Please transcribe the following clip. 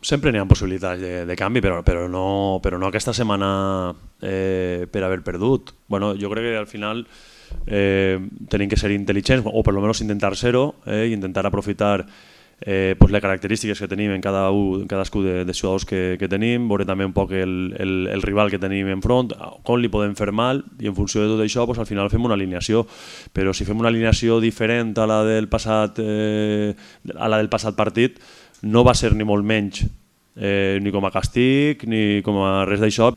Sempre n'hi ha possibilitats de canvi, però no aquesta setmana per haver perdut. Bueno, jo crec que al final tenim que ser intel·ligents, o per almenys intentar ser-ho, i intentar aprofitar les característiques que tenim en cadascú dels jugadors que tenim, veure també un poc el rival que tenim enfront, com li podem fer mal, i en funció de tot això al final fem una alineació. Però si fem una alineació diferent a la del passat partit, no va ser ni molt menys ni com a càstig ni com a res d'això.